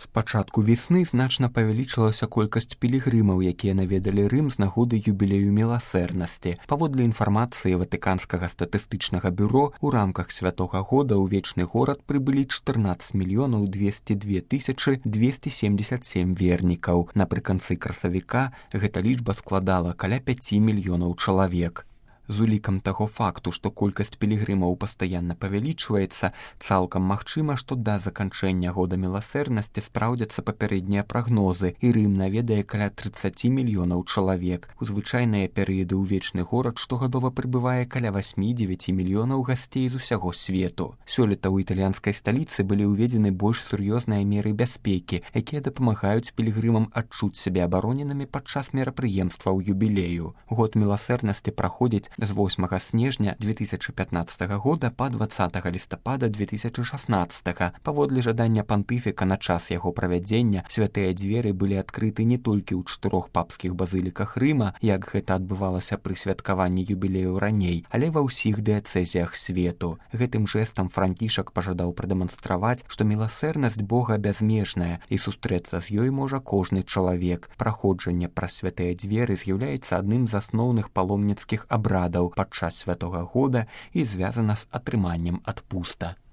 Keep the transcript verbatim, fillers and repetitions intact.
З пачатку весны значна павялічылася колькасць пілігрымаў, якія наведалі Рым з нагоды юбілею міласэрнасці. Паводле інфармацыі Ватыканскага статыстычнага бюро, у рамках святога года ў вечны горад прыбылі чатырнаццаць мільёнаў двесце дзве тысячы двесце семьдесят семь вернікаў. Напрыканцы красавіка гэта лічба складала каля пяці мільёнаў чалавек. З улікам таго факту, што колькасць пілігрымаў пастаянна павялічваецца, цалкам магчыма, што да заканчэння года міласэрнасці спраўдзяцца папярэднія прагнозы, і Рым наведае каля трыццаць мільёнаў чалавек. У звычайныя перыяды ў вечны горад штогадова прыбывае каля восьмі-дзевяці мільёнаў гасцей з усяго свету. Сёлета ў італьянскай сталіцы былі ўведзены больш сур'ёзныя меры бяспекі, якія дапамагаюць пілігрымам адчуць сябе абароненымі падчас мерапрыемстваў юбілею. Год міласэрнасці праходзіць з восьмага снежня две тысячы пятнаццатага года па дваццатага лістапада две тысячы шаснаццатага. Паводле жадання пантыфіка на час яго правядзення святыя дзверы былі адкрыты не толькі ў чатырох папскіх базыліках Рыма, як гэта адбывалася пры святкаванні юбілею раней, але ва ўсіх дыяцэзіях свету. Гэтым жэстам Францішак пажадаў прадэманстраваць, што міласэрнасць Бога бязмежная і сустрэцца з ёй можа кожны чалавек. Праходжанне праз святыя дзверы з'яўляецца адным з асноўных паломніцкіх абрадаў падчас святога года і звязана з атрыманнем адпуста.